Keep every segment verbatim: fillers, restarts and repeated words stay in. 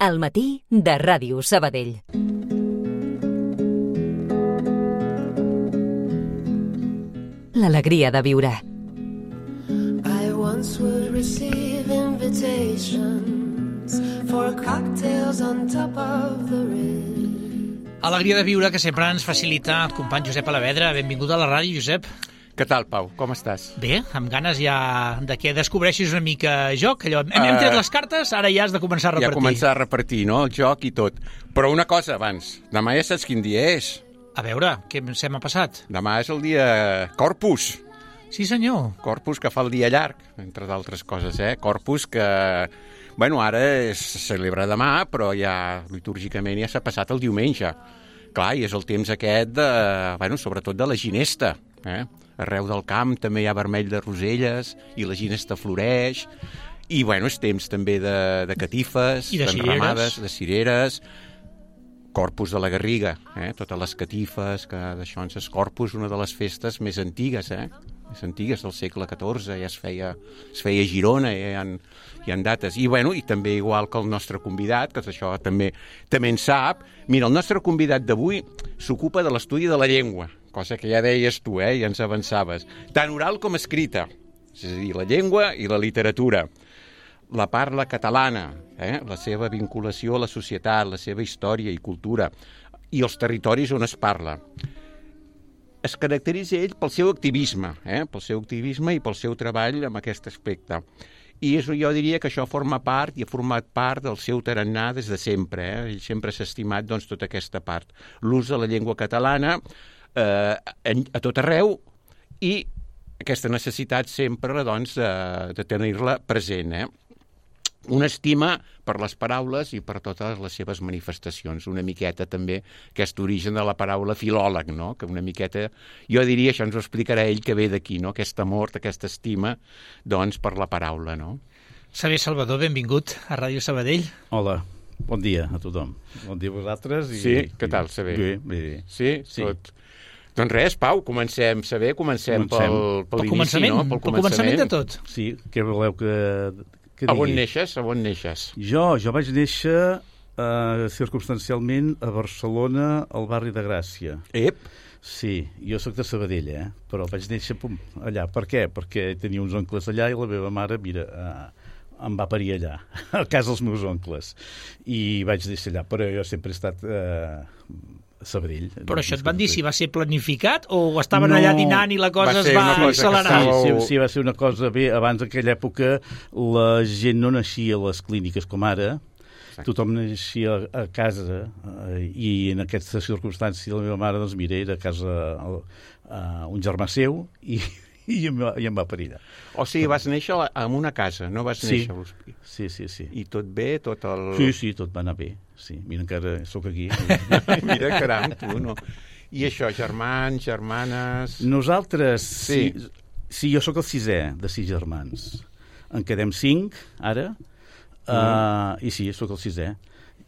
Al matí de Ràdio Sabadell. L'alegria de viure. I once would receive invitations for cocktails on top of the ridge. Alegria de viure que sempre ens facilita el company Josep Alavedra. Benvingut a la ràdio, Josep. Què tal, Pau? Com estàs? Bé, amb ganes ja de que descobreixis una mica joc. Allò, hem, hem tret les cartes, ara ja has de començar a repartir. Ja començar a repartir, no?, el joc i tot. Però una cosa abans, demà ja saps quin dia és. A veure, què se m'ha passat? Demà és el dia Corpus. Sí, senyor. Corpus, que fa el dia llarg, entre d'altres coses, eh? Corpus que, bueno, ara es celebra demà, però ja litúrgicament ja s'ha passat el diumenge. Clar, i és el temps aquest, de, bueno, sobretot de la ginesta, eh? Arreu del camp també hi ha vermell de roselles i la ginesta floreix. I, bueno, és temps també de, de catifes, I de d'enramades, cireres. de cireres, Corpus de la Garriga, eh? Totes les catifes, que d'això ens és Corpus, una de les festes més antigues, eh? més antigues del segle catorze, ja es feia, es feia a Girona, ja hi ha, hi ha dates. I, bueno, i també igual que el nostre convidat, que això també, també en sap. Mira, el nostre convidat d'avui s'ocupa de l'estudi de la llengua, cosa que ja deies tu, eh? Ja ens avançaves. Tant oral com escrita, és a dir, la llengua i la literatura. La parla catalana, eh? La seva vinculació a la societat, la seva història i cultura, i els territoris on es parla. Es caracteritza ell pel seu activisme, eh? pel seu activisme i pel seu treball en aquest aspecte. I és, jo diria que això forma part i ha format part del seu tarannà des de sempre. Eh? Ell sempre s'ha estimat, doncs, tota aquesta part. L'ús de la llengua catalana eh, a tot arreu i aquesta necessitat sempre, doncs, de, de tenir-la present, eh? Una estima per les paraules i per totes les seves manifestacions. Una miqueta també aquest origen de la paraula filòleg, no? Que una miqueta, jo diria, això ens ho explicarà ell, que ve d'aquí, no? Aquest amor, aquesta estima, doncs, per la paraula, no? Saber Salvador, benvingut a Ràdio Sabadell. Hola, bon dia a tothom. Bon dia a vosaltres. I, sí, què tal, Saber? Bé, bé, bé. Sí? Sí. Tot. Doncs res, Pau, comencem, Saber, comencem, comencem. pel, pel, pel inici, començament, no? Pel començament de tot. Sí, què voleu que... A on neixes? A on neixes? Jo, jo vaig néixer uh, circumstancialment a Barcelona, al barri de Gràcia. Ep! Sí, jo sóc de Sabadell, eh? Però vaig néixer pum, allà. Per què? Perquè tenia uns oncles allà i la meva mare, mira, uh, em va parir allà, a casa dels meus oncles. I vaig néixer allà, però jo sempre he estat... Uh, a Sabadell. Però això et van dir si va ser planificat o estaven no, allà dinant i la cosa es va accelerar? Sí, sí, sí, va ser una cosa bé. Abans, en aquella època, la gent no naixia a les clíniques com ara. Exacte. Tothom naixia a casa eh, i en aquesta circumstància la meva mare, doncs, mira, era a casa uh, un germà seu i, i, em, va, i em va parir allà. O sigui, vas néixer en una casa, no vas néixer a l'hospital. Sí, sí, sí. I tot bé? Tot el... Sí, sí, tot va anar bé. Sí, mira, encara sóc aquí. Mira, caram, tu, no? I això, germans, germanes... Nosaltres, sí, sí, sí jo sóc el sisè de sis germans. En quedem cinc, ara, mm. uh, i sí, sóc el sisè.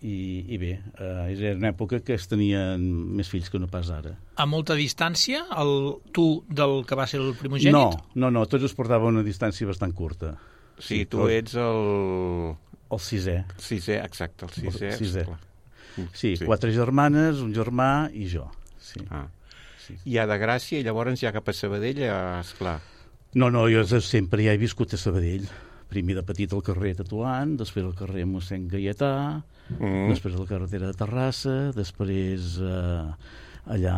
I, i bé, uh, era una època que es tenien més fills que no pas ara. A molta distància, el tu del que va ser el primogènit? No, no, no, tots es portaven una distància bastant curta. Sí, sí, tu ets el... El sisè. Sisè, exacte, el sisè. El sisè. Sí, sí, quatre germanes, un germà i jo. Sí. Ah. Sí. I a de Gràcia, i llavors ja cap a Sabadell, esclar. No, no, jo sempre ja he viscut a Sabadell. Primer de petit al carrer Tatuant, després al carrer mossèn Gaietà, mm. després a la carretera de Terrassa, després eh, allà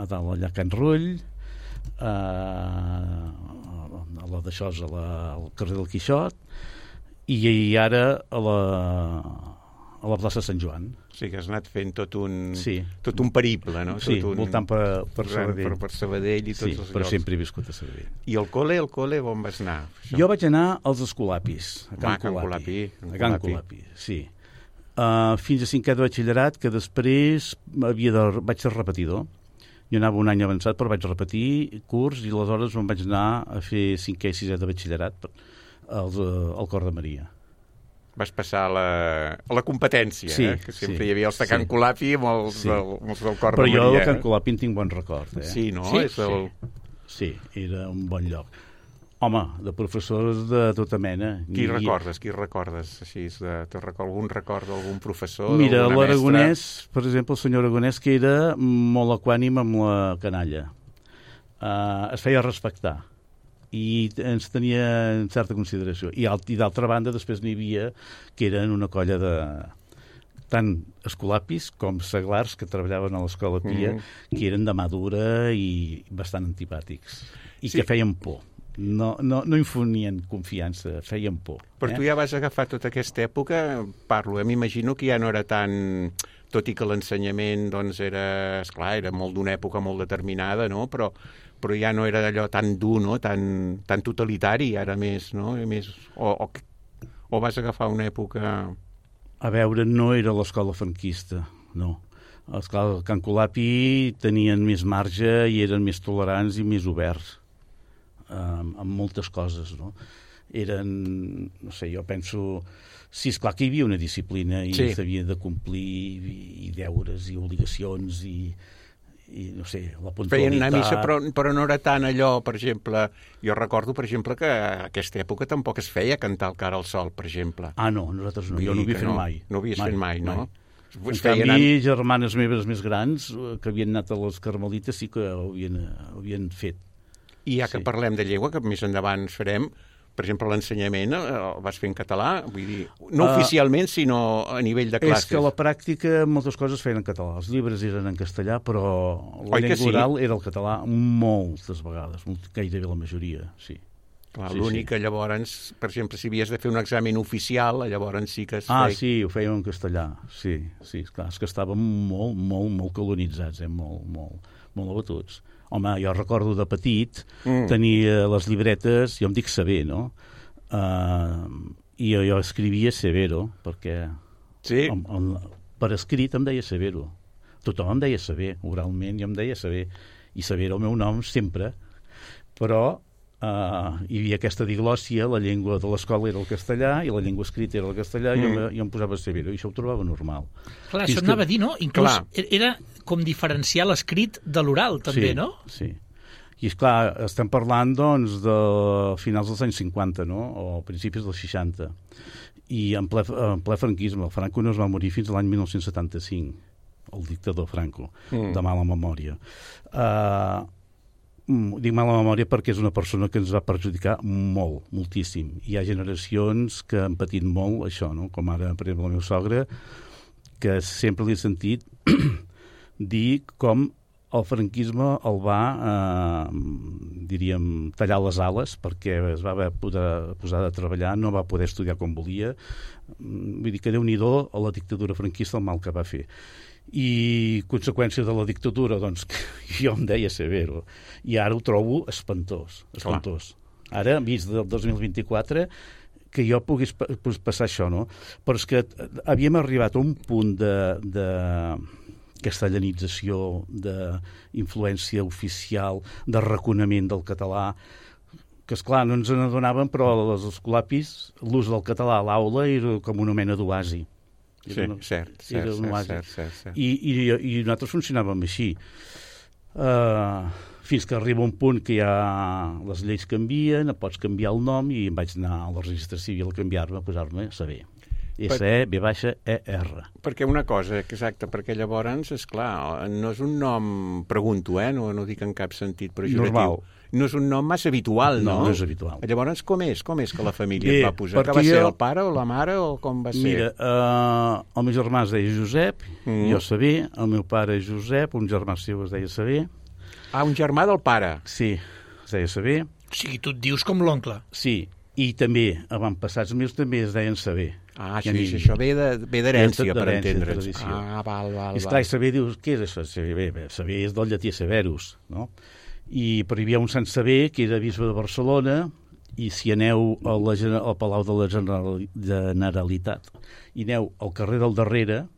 a dalt, allà a Can Rull, eh, a la d'això, al carrer del Quixot, i, i ara a la, a la plaça Sant Joan. O sigui que has anat fent tot un, sí. tot un periple, no? Sí, tot un... voltant per, per Sabadell. Per, per Sabadell i tots sí, els però llocs. sempre he viscut a Sabadell. I el col·le, el col·le, on vas anar? Això? Jo vaig anar als Escolapis, a Can, ah, Can Colapi. Colapi. A Can Colapi, sí. Uh, fins a cinquè de batxillerat, que després havia de, vaig ser repetidor. Jo anava un any avançat, però vaig repetir curs i aleshores me'n vaig anar a fer cinquè i sisè de batxillerat al, al Cor de Maria. Vas passar a la, a la competència, sí, eh? Que sempre sí, hi havia els de Can sí. Colapi i els, sí. del, els del Cor però de Maria. Però jo de Can Colapi en tinc bon record. Eh? Sí, no? Sí, És el... sí. sí, era un bon lloc. Home, de professors de tota mena. Qui I... recordes? Qui recordes? Així, de, te record, algun record d'algun professor? Mira, l'Aragonès, mestra? per exemple, el senyor Aragonès, que era molt equànim amb la canalla. Uh, es feia respectar i ens tenia en certa consideració. I, i d'altra banda, després n'hi havia que eren una colla de tant escolapis com seglars que treballaven a l'Escola Pia, mm. que eren de mà dura i bastant antipàtics. I sí. que feien por. No, no, no infonien confiança, feien por. Però eh? tu ja vas agafar tota aquesta època, parlo, eh? m'imagino que ja no era tan... Tot i que l'ensenyament, doncs, era... Esclar, era molt d'una època molt determinada, no? Però, però ja no era allò tan dur, no? Tan, tan totalitari, ara més, no? Més, o, o, o vas agafar una època... A veure, no era l'escola franquista, no. Esclar, el Can Colapi tenien més marge i eren més tolerants i més oberts. Um, amb moltes coses, no? Eren, no sé, jo penso... Sí, esclar que hi havia una disciplina i sí. s'havia de complir i, i deures i obligacions i, i no sé, la puntualitat... Feien anar a missa, però, però no era tant allò, per exemple... Jo recordo, per exemple, que a aquesta època tampoc es feia cantar el Cara al Sol, per exemple. Ah, no, nosaltres no, jo no ho havia fet no, mai. No ho havies mai, fet mai, no? Mai. En canvi, anant... germanes meves més grans, que havien anat a les Carmelites, sí que ho havien, ho havien fet. I ja que sí. parlem de llengua, que més endavant farem, per exemple, l'ensenyament el vas fer en català, vull dir, no uh, oficialment, sinó a nivell de classes. És que a la pràctica moltes coses feien en català. Els llibres eren en castellà, però la Oi llengua sí? oral era el català moltes vegades, gairebé la majoria, sí. Clar, sí l'únic sí. que llavors, per exemple, si havies de fer un examen oficial, llavors sí que es Ah, feia... sí, ho fèiem en castellà, sí, sí, esclar, és que estàvem molt, molt, molt colonitzats, eh? molt, molt, molt abatuts. Home, jo recordo de petit mm. tenir les llibretes, jo em dic saber, no? Uh, I jo, jo escrivia Severo, perquè sí? on, on, per escrit em deia Severo. Tothom em deia saber, oralment jo em deia saber. I saber era el meu nom sempre, però uh, hi havia aquesta diglòssia, la llengua de l'escola era el castellà i la llengua escrita era el castellà, mm. i jo, jo em posava Severo, i això ho trobava normal. Clar, Fins això anava que... a dir, no? Inclús Clar. era com diferenciar l'escrit de l'oral, també, sí, no? Sí, i esclar, estem parlant doncs de finals dels anys cinquanta, no? O principis dels seixanta, i en ple, en ple franquisme. El Franco no es va morir fins a l'any dinou setanta-cinc, el dictador Franco, mm. de mala memòria. Uh, dic mala memòria perquè és una persona que ens va perjudicar molt, moltíssim. Hi ha generacions que han patit molt això, no? Com ara, per exemple, el meu sogre, que sempre li he sentit dir com el franquisme el va, eh, diríem, tallar les ales perquè es va haver poder, posar a treballar, no va poder estudiar com volia. Vull dir que Déu-n'hi-do a la dictadura franquista el mal que va fer. I conseqüència de la dictadura, doncs, jo em deia Severo. I ara ho trobo espantós, espantós. Clar. Ara, vist del dos mil vint-i-quatre, que jo pogués passar això, no? Però és que havíem arribat a un punt de... de castellanització, d'influència oficial, de reconeixement del català, que, esclar, no ens n'adonàvem, però als escolapis l'ús del català a l'aula era com una mena d'oasi. Sí, una, cert, cert, cert, cert, cert, cert. I, i, I nosaltres funcionàvem així. Uh, fins que arriba un punt que ja les lleis canvien, pots canviar el nom, i em vaig anar al registre civil a canviar-me, a posar-me saber. S E B baixa E R. Perquè una cosa, exacte, perquè llavors, esclar, no és un nom, pregunto, eh, no, no dic en cap sentit pejoratiu. Normal. No és un nom massa habitual, no? No, no és habitual. Llavors, com és? Com és que la família Bé, et va posar? Que va ser jo... el pare o la mare o com va ser? Mira, uh, el meu germà es deia Josep, mm. jo Saber, el meu pare Josep, un germà seu es deia Saber. Ah, un germà del pare? Sí, es deia Saber. O sigui, tu et dius com l'oncle. Sí, i també, avantpassats meus també es deien Saber. Ah, això, mi... això ve d'herència, per entendre's. Ah, val, val, I esclar, i Saber dius, què és això? Saber, Saber és del llatí Severus, no? I, però hi havia un Sant Saber, que era bisbe de Barcelona, i si aneu a la, al Palau de la Generalitat i aneu al carrer del darrere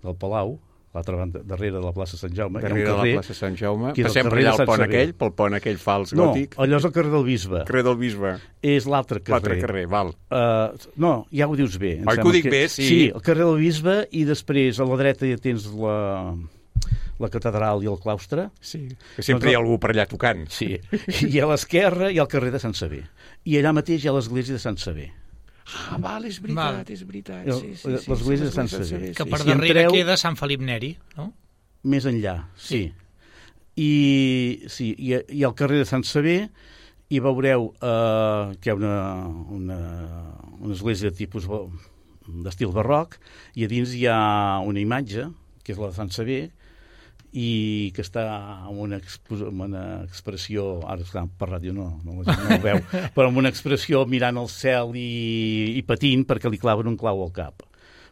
del Palau, l'altra banda, darrere de la plaça Sant Jaume, darrere hi ha un carrer, de la plaça Sant Jaume, que passem per allà al pont aquell, pel pont aquell fals no, gòtic. No, allò és el carrer del Bisbe. Carrer del Bisbe. És l'altre carrer. L'altre carrer, val. Uh, no, ja ho dius bé. Oi que ho dic que... bé, sí. Sí, el carrer del Bisbe, i després a la dreta ja tens la... la catedral i el claustre. Sí, que sempre doncs, hi ha algú per allà tocant. Sí, i a l'esquerra hi ha el carrer de Sant Sever. I allà mateix hi ha l'església de Sant Sever. Ah, val, és veritat, val. és veritat. Sí, sí, sí, l'església de Sant Sever. Que per darrere entreu, queda Sant Felip Neri, no? Més enllà, sí. sí. I, sí, i, i al carrer de Sant Sever hi veureu eh, que hi ha una, una, una església de tipus d'estil barroc, i a dins hi ha una imatge, que és la de Sant Sever, i que està amb una, amb una expressió, ara esclar, per ràdio no, no, no ho veu, però amb una expressió mirant al cel i, i patint perquè li claven un clau al cap.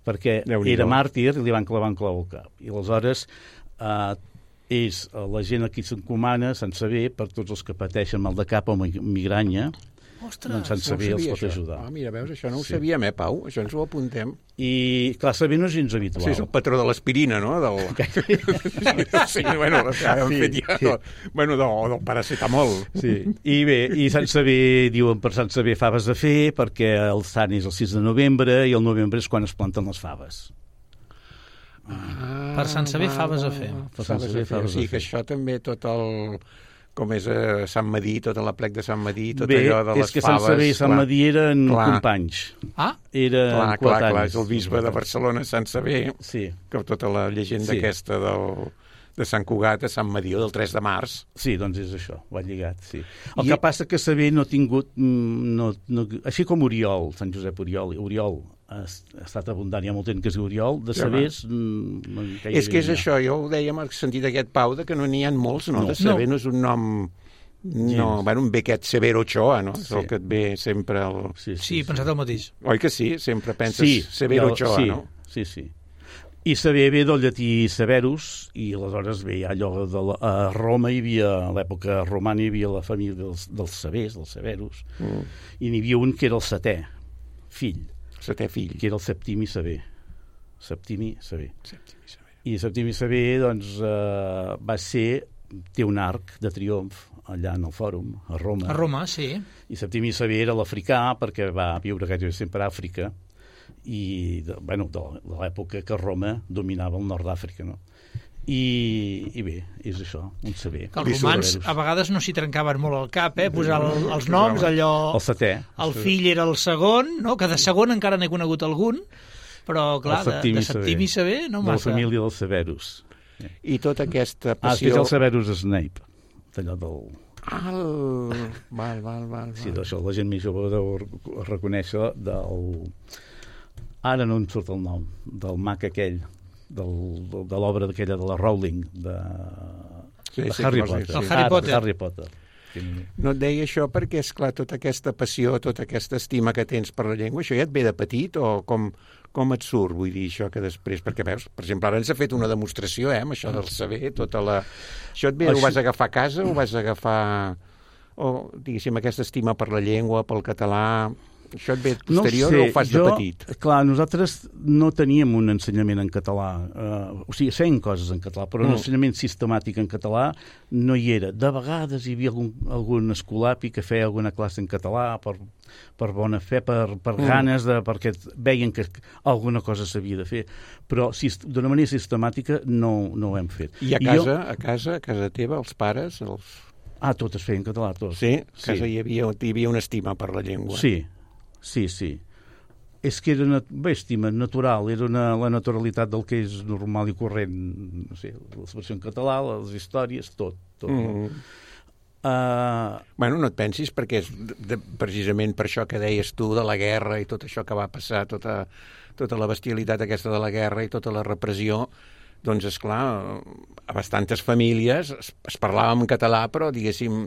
Perquè era màrtir i li van clavar un clau al cap. I aleshores eh, és la gent a qui s'encomana, Sant Sever, per tots els que pateixen mal de cap o migranya. Ostres, doncs Sant Sever no els pot això. ajudar. Ah, mira, veus, això no ho sí. sabíem, eh, Pau? Això ens ho apuntem. I, clar, Sever no és gens habitual. Sí, és el patró de l'aspirina, no? Del... sí, bueno, ja hem sí, fet ja, sí. del, bueno, del, del paracetamol. Sí, i bé, i Sant Sever, diuen per Sant Sever faves a fer, perquè el sant és el sis de novembre, i el novembre és quan es planten les faves. Ah, per Sant Sever faves a fer. Per Sant Sever faves a fer. Sí, que això també tot el... com és a Sant Madí, tota la plec de Sant Madí, tot Bé, allò de les faves... Bé, és que Sant Sever i Sant Madí eren clar. companys. Ah? Eren clar, clar, clar, és el coetanis. bisbe de Barcelona, Sant Sever, sí. que tota la llegenda sí. aquesta del, de Sant Cugat a Sant Madí, del tres de març. Sí, doncs és això, va lligat, sí. El I... que passa que Sever no ha tingut... No, no, així com Oriol, Sant Josep Oriol, Oriol ha estat abundant, hi ha molt temps que és Oriol, de Severs... Ja, no, és que és això, jo ho deia en el sentit d'aquest Pau, de que no n'hi ha molts, no? no. De Sever no. no és un nom... No, bueno, un bé aquest Severo Ochoa, no? És sí. el que et ve sempre... El... Sí, sí, sí, pensat el mateix. Oi que sí? Sempre penses sí, Severo el, Ochoa, sí, no? Sí, sí. I Sever ve del llatí Severus, i aleshores ve allò de la, a Roma hi havia, a l'època romana hi havia la família dels, dels Severs, dels Severus, mm. i n'hi havia un que era el setè fill. Setè fill. Que era el Septimi Sever. Septimi Sever. Septimi Sever. I Septimi Sever, doncs, eh, va ser... té un arc de triomf allà en el fòrum, a Roma. A Roma, sí. I Septimi Sever era l'africà, perquè va viure gairebé sempre a Àfrica, i, de, bueno, de, de l'època que Roma dominava el nord d'Àfrica, no? I, i bé, és això, un Sever. Que els romans a vegades no s'hi trencaven molt al cap, eh? Posar el, els noms, allò... El setè. El fill era el segon, no? Que de segon encara n'he conegut algun, però, clar, de, de Septimi Sever no massa. De la família dels Severus. I tota aquesta passió... Ah, és que és el Severus Snape, allò del... Ah, el... val, val, val. Sí, d'això la gent més jove deu reconèixer del... Ara no em surt el nom, del mag aquell, del, de, de l'obra d'aquella de la Rowling, de, sí, de sí, Harry sí, Potter. sí. El Harry Potter. Harry Potter. No et deia això perquè, és clar, tota aquesta passió, tota aquesta estima que tens per la llengua, això ja et ve de petit o com... Com et surt, vull dir, això que després... Perquè, veus, per exemple, ara ens ha fet una demostració, eh, amb això del saber, tota la... Això et ve, ho vas agafar a casa, o vas agafar... O, diguéssim, aquesta estima per la llengua, pel català... Això et ve posterior no sé, o ho fas jo, de petit? Clar, nosaltres no teníem un ensenyament en català. Uh, o sigui, feien coses en català, però mm. un ensenyament sistemàtic en català no hi era. De vegades hi havia algun, algun escolapi que feia alguna classe en català per, per bona fe, per, per mm. ganes, de, perquè veien que alguna cosa s'havia de fer. Però si, d'una manera sistemàtica no, no ho hem fet. I a casa, I jo... a casa, a casa teva, els pares... Els... Ah, tot es feia en català, tot. Sí? A casa sí. hi, havia, hi havia una estima per la llengua. Sí. Sí, sí. És que era una bé, estima natural, era una, la naturalitat del que és normal i corrent, no sé, l'expressió en català, les històries, tot. tot mm. uh... Bueno, no et pensis, perquè és de, de, precisament per això que deies tu de la guerra i tot això que va passar, tota, tota la bestialitat aquesta de la guerra i tota la repressió, doncs, esclar, a bastantes famílies es, es parlava en català, però, diguéssim,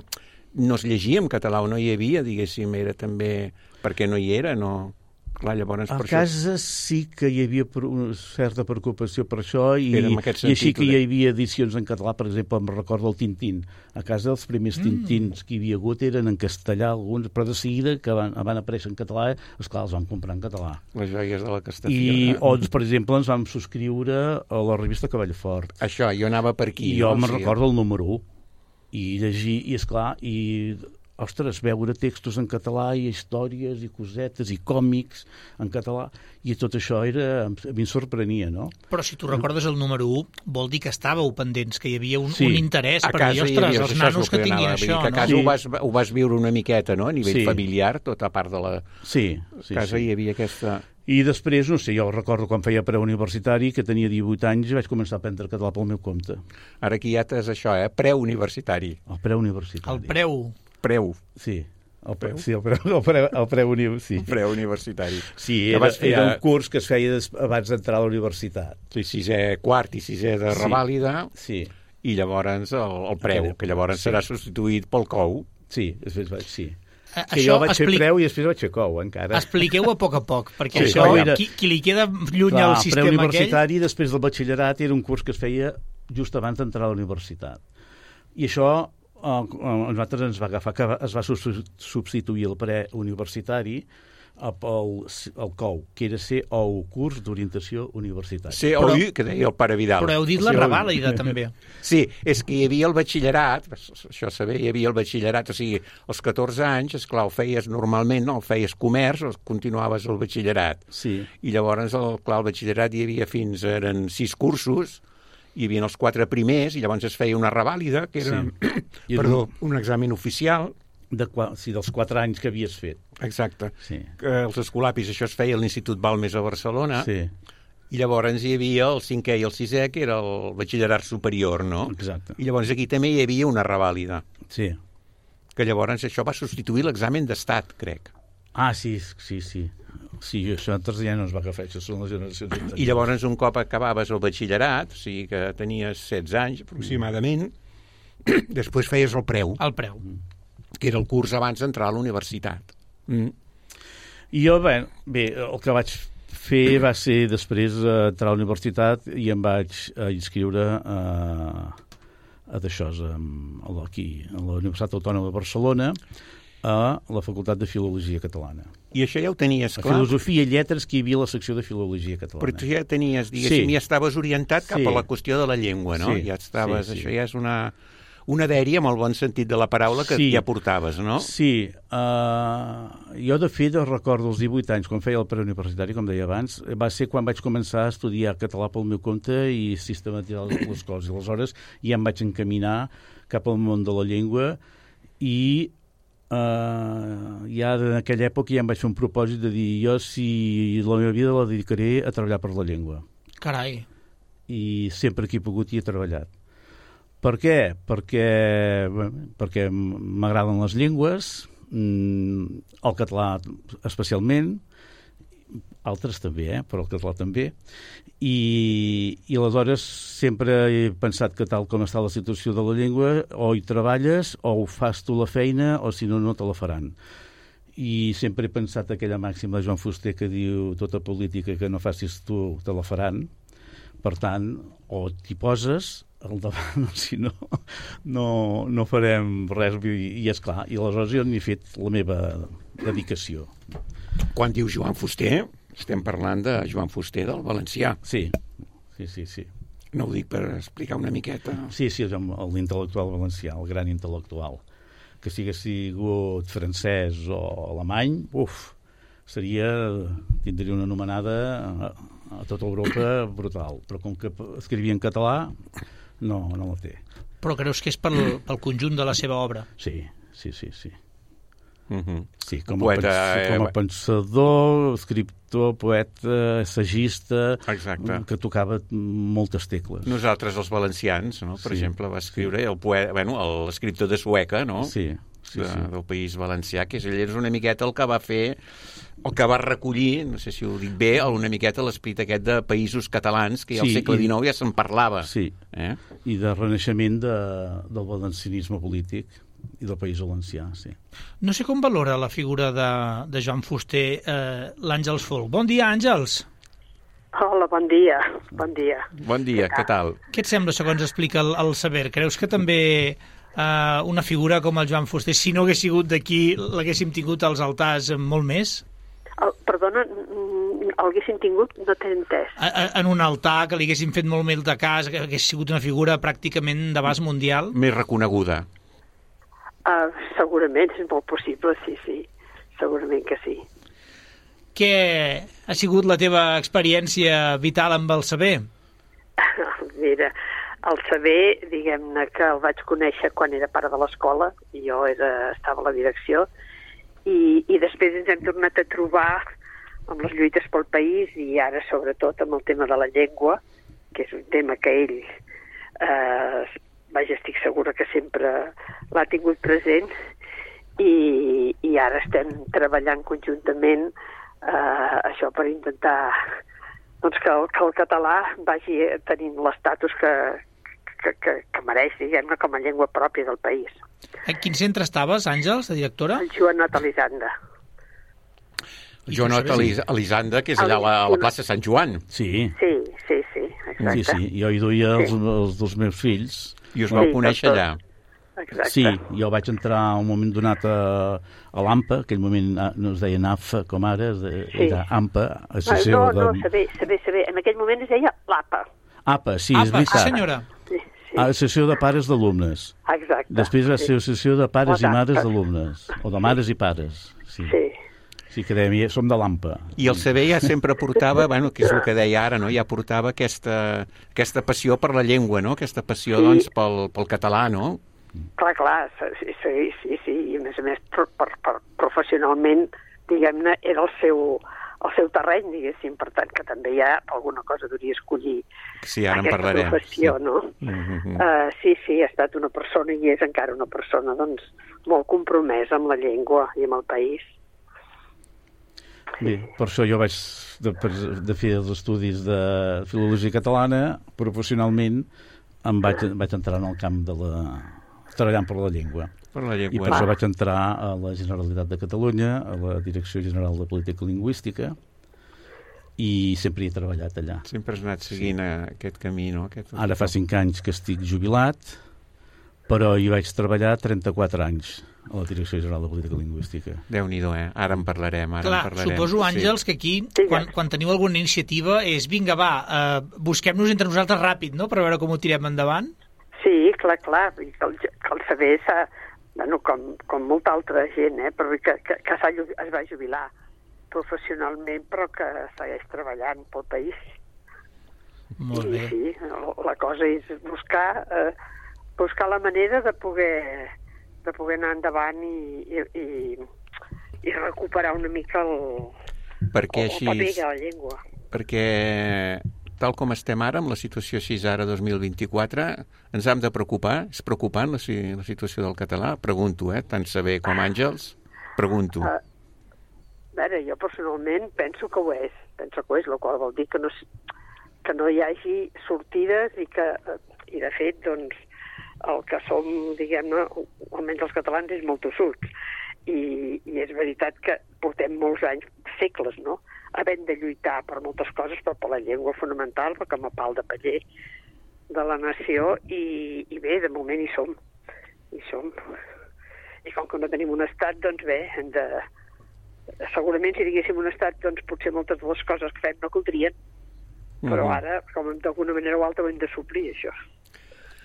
no es llegia en català o no hi havia, diguéssim, era també... perquè no hi era, no... Clar, llavors, a per casa això... sí que hi havia una certa preocupació per això i, sentit, i així que hi havia edicions en català, per exemple, em recordo el Tintín. A casa els primers mm. Tintins que hi havia hagut eren en castellà, alguns, però de seguida que van, van aparèixer en català, esclar, els vam comprar en català. Les joies de la Castellfiora. I, o, per exemple, ens vam subscriure a la revista Cavallfort. Això, jo anava per aquí. I jo no? me'n sí. recordo el número u. I llegir, i esclar, i ostres, veure textos en català i històries i cosetes i còmics en català, i tot això era, a mi em sorprenia, no? Però si tu recordes el número u, vol dir que estàveu pendents, que hi havia un, sí. un interès a per dir, ostres, havia, els nanos que, que tinguin anava, això, que a no? casa Sí. ho, vas, ho vas viure una miqueta, no?, a nivell Sí. familiar, tota part de la Sí, sí, casa sí. hi havia aquesta... I després, no sé, jo recordo quan feia preuniversitari, que tenia divuit anys i vaig començar a aprendre català pel meu compte. Ara aquí ja t'has això, eh? Preuniversitari. El preuniversitari. El preu. Preu. Sí, el preu, sí, el preu, el preu, el preu uni, sí. Preuniversitari. Sí, Que era, vas fer era a- un curs que es feia des, abans d'entrar a la universitat. Sí, sisè quart i sisè de Sí. revàlida, Sí, i llavors el, el preu, que llavors Sí. serà substituït pel cou. sí, després vaig, sí. Eh, Que això jo vaig expli... fer preu i després vaig fer cou, encara. Expliqueu a poc a poc, perquè Sí, això, era- qui, qui li queda lluny Clar, al sistema aquell... preuniversitari, després del batxillerat, era un curs que es feia just abans d'entrar a la universitat. I això eh, a nosaltres ens va agafar, que es va substituir el preuniversitari pel el cou, que era C O U, curs d'orientació universitària. C O U, que deia el pare Vidal. Però heu dit la Sí, revàlida, també. Sí, és que hi havia el batxillerat, això saber, hi havia el batxillerat, o sigui, als catorze anys, esclar, ho feies normalment, no? El feies comerç, o continuaves el batxillerat. Sí. I llavors, el, clar, el batxillerat hi havia fins, eren sis cursos, hi havia els quatre primers, i llavors es feia una revàlida, que era, Sí. perdó, un examen oficial. De, sí, dels quatre anys que havies fet. Exacte. Sí. Que els escolapis, això es feia a l'Institut Balmes a Barcelona, Sí, i llavors hi havia el cinquè i el sisè, que era el batxillerat superior, no? exacte. I llavors aquí també hi havia una revàlida, Sí. que llavors això va substituir l'examen d'estat, crec. Ah, sí, sí, sí. Sí, això altres ja no es va agafar, això són les generacions anteriors. I llavors, un cop acabaves el batxillerat, o sigui que tenies setze anys aproximadament, després feies el preu, El preu. que era el curs abans d'entrar a la universitat. Mm. I jo, bé, bé, el que vaig fer va ser després eh, entrar a la universitat i em vaig eh, inscriure a, a d'això, a, aquí, a la Universitat Autònoma de Barcelona, a la Facultat de Filologia Catalana. I això ja ho tenies A clar, Filosofia i Lletres, que hi havia la secció de Filologia Catalana. però tu ja tenies, diguéssim, Sí. ja estaves orientat cap Sí. a la qüestió de la llengua, no? Sí, Ja estaves, sí, sí. això ja és una, una dèria, amb el bon sentit de la paraula, que Sí. ja portaves, no? Sí, uh, jo de fet recordo els divuit anys, quan feia el preuniversitari, com deia abans, va ser quan vaig començar a estudiar català pel meu compte i sistematitzar les coses. I aleshores ja em vaig encaminar cap al món de la llengua i uh, ja en aquella època ja em vaig fer un propòsit de dir jo si la meva vida la dedicaré a treballar per la llengua. Carai. I sempre que he pogut hi he treballat. Per què? Perquè, bé, perquè m'agraden les llengües, el català especialment, altres també, eh? Però el català també, i, i aleshores sempre he pensat que tal com està la situació de la llengua, o hi treballes, o ho fas tu la feina, o si no, no te la faran. I sempre he pensat aquella màxima de Joan Fuster que diu tota política que no facis tu, te la faran. Per tant, o t'hi poses al davant, si no, no, no farem res. I, i esclar, i aleshores jo n'he fet la meva dedicació. Quan dius Joan Fuster, estem parlant de Joan Fuster del valencià. Sí, sí, sí, sí. No ho dic per explicar una miqueta. Sí, sí, l'intel·lectual valencià, el gran intel·lectual. Que si hagués sigut francès o alemany, uf, seria, tindria una anomenada a, a tota Europa brutal. Però com que escrivia en català, no, no la té. Però creus que és pel, pel conjunt de la seva obra? Sí, sí, sí, sí. Uh-huh. Sí, com a, Poeta, pens com a eh, pensador, escriptor, poeta, assagista, Exacte. que tocava moltes tecles. Nosaltres, els valencians, no? Per Sí, exemple, va escriure el poeta, bueno, l'escriptor de Sueca, no? Sí, sí, de, sí. del País Valencià, que és, ell és una miqueta el que va fer, el que va recollir, no sé si ho dic bé, una miqueta l'esperit aquest de països catalans, que ja al Sí, segle i- dinou ja se'n parlava. Sí, Eh? i de renaixement de, del valencianisme polític i del País Valencià, sí. No sé com valora la figura de, de Joan Fuster eh, l'Àngels Folk. Bon dia, Àngels. Hola, bon dia, bon dia. Bon dia, què tal? Què et sembla, segons explica el, el saber? Creus que també eh, una figura com el Joan Fuster, si no hagués sigut d'aquí, l'haguéssim tingut als altars molt més? El, perdona, mm, l'haguéssim tingut, no t'he entès. A, a, en un altar, que li haguéssim fet molt més de cas, que hagués sigut una figura pràcticament d'abast mundial? Més reconeguda. Uh, segurament, és molt possible, sí, sí. Segurament que sí. Què ha sigut la teva experiència vital amb el saber? Mira, el saber, diguem-ne que el vaig conèixer quan era pare de l'escola, i jo era, estava a la direcció, i, i després ens hem tornat a trobar amb les lluites pel país i ara sobretot amb el tema de la llengua, que és un tema que ell, eh, vaja, estic segura que sempre l'ha tingut present, i, i ara estem treballant conjuntament eh, això per intentar doncs, que, el, que el català vagi tenint l'estatus que, que, que, que mereix, diguem-ne, com a llengua pròpia del país. A quin centre estaves, Àngels, de directora? El Joanot Elisanda. Joanot Elisanda, que és allà a la, a la plaça Sant Joan. Sí. Sí, sí, sí, exacte. Sí, sí, jo hi duia els, els dos meus fills. I us vau Sí, conèixer tot, tot. allà. Exacte. Sí, jo vaig entrar un moment donat a, a l'AMPA, aquell moment no es deia NAFA com ara, es deia, Sí. era AMPA, No, associació no, no, de... saber, saber, saber. En aquell moment es deia l'APA. APA, sí, Apa, és sí, veritat. senyora. Sí, sí. Associació de Pares d'Alumnes. Exacte. Després va ser Associació de Pares i Exacte. Mares d'Alumnes, o de Mares i Pares. Sí, Sí. sí que dèiem, som de l'AMPA. I el saber ja sempre portava, bueno, que és el que deia ara, no? Ja portava aquesta, aquesta passió per la llengua, no? Aquesta passió, Sí. doncs, pel, pel català, no? Clar, clar, sí, sí, sí, sí. I a més a més, per, per, per professionalment, diguem-ne, era el seu, el seu terreny, diguéssim, per tant, que també ja alguna cosa hauria escollir Sí, ara en aquesta parlarem. professió, sí. no? Mm-hmm. Uh, sí, sí, ha estat una persona i és encara una persona, doncs, molt compromesa amb la llengua i amb el país. Bé, per això jo vaig de, de fer els estudis de filologia catalana, professionalment em vaig, vaig entrar en el camp de la... treballant per la llengua. Per la I llengua. per això vaig entrar a la Generalitat de Catalunya, a la Direcció General de Política Lingüística, i sempre he treballat allà. Sempre has anat seguint sí. aquest camí, no? Aquest... Ara fa cinc anys que estic jubilat, però hi vaig treballar trenta-quatre anys a la Direcció General de Política Lingüística. Déu-n'hi-do, eh? Ara en parlarem, ara Clar, en parlarem. suposo, Àngels, sí. que aquí, quan, quan teniu alguna iniciativa, és vinga, va, eh, busquem-nos entre nosaltres ràpid, no?, per veure com ho tirem endavant. Sí, clar, clar, que el, que el saber s'ha, bueno, com, com molta altra gent, eh, però que, que, que s'ha, es va jubilar professionalment, però que segueix treballant pel país. Molt I bé. sí, la cosa és buscar, eh, buscar la manera de poder, de poder anar endavant i, i, i, i recuperar una mica el, Perquè el, així... el paper de la llengua. Perquè tal com estem ara, amb la situació així ara dos mil vint-i-quatre, ens hem de preocupar? És preocupant la, la situació del català? Pregunto, eh? Tant saber com Àngels, pregunto. Uh, a veure, jo personalment penso que ho és, penso que ho és, el qual vol dir que no, que no hi hagi sortides i que, i de fet, doncs, el que som, diguem-ne, almenys els catalans, és molt tossuts. I, i és veritat que portem molts anys, segles, no?, havent de lluitar per moltes coses, però per la llengua fonamental, perquè com a pal de paller de la nació, i, i bé, de moment hi som. Hi som. I com que no tenim un estat, doncs bé, hem de... segurament si diguéssim un estat, doncs potser moltes de les coses que fem no caldrien, però Mm. ara, com d'alguna manera o altra, ho hem de suplir, això.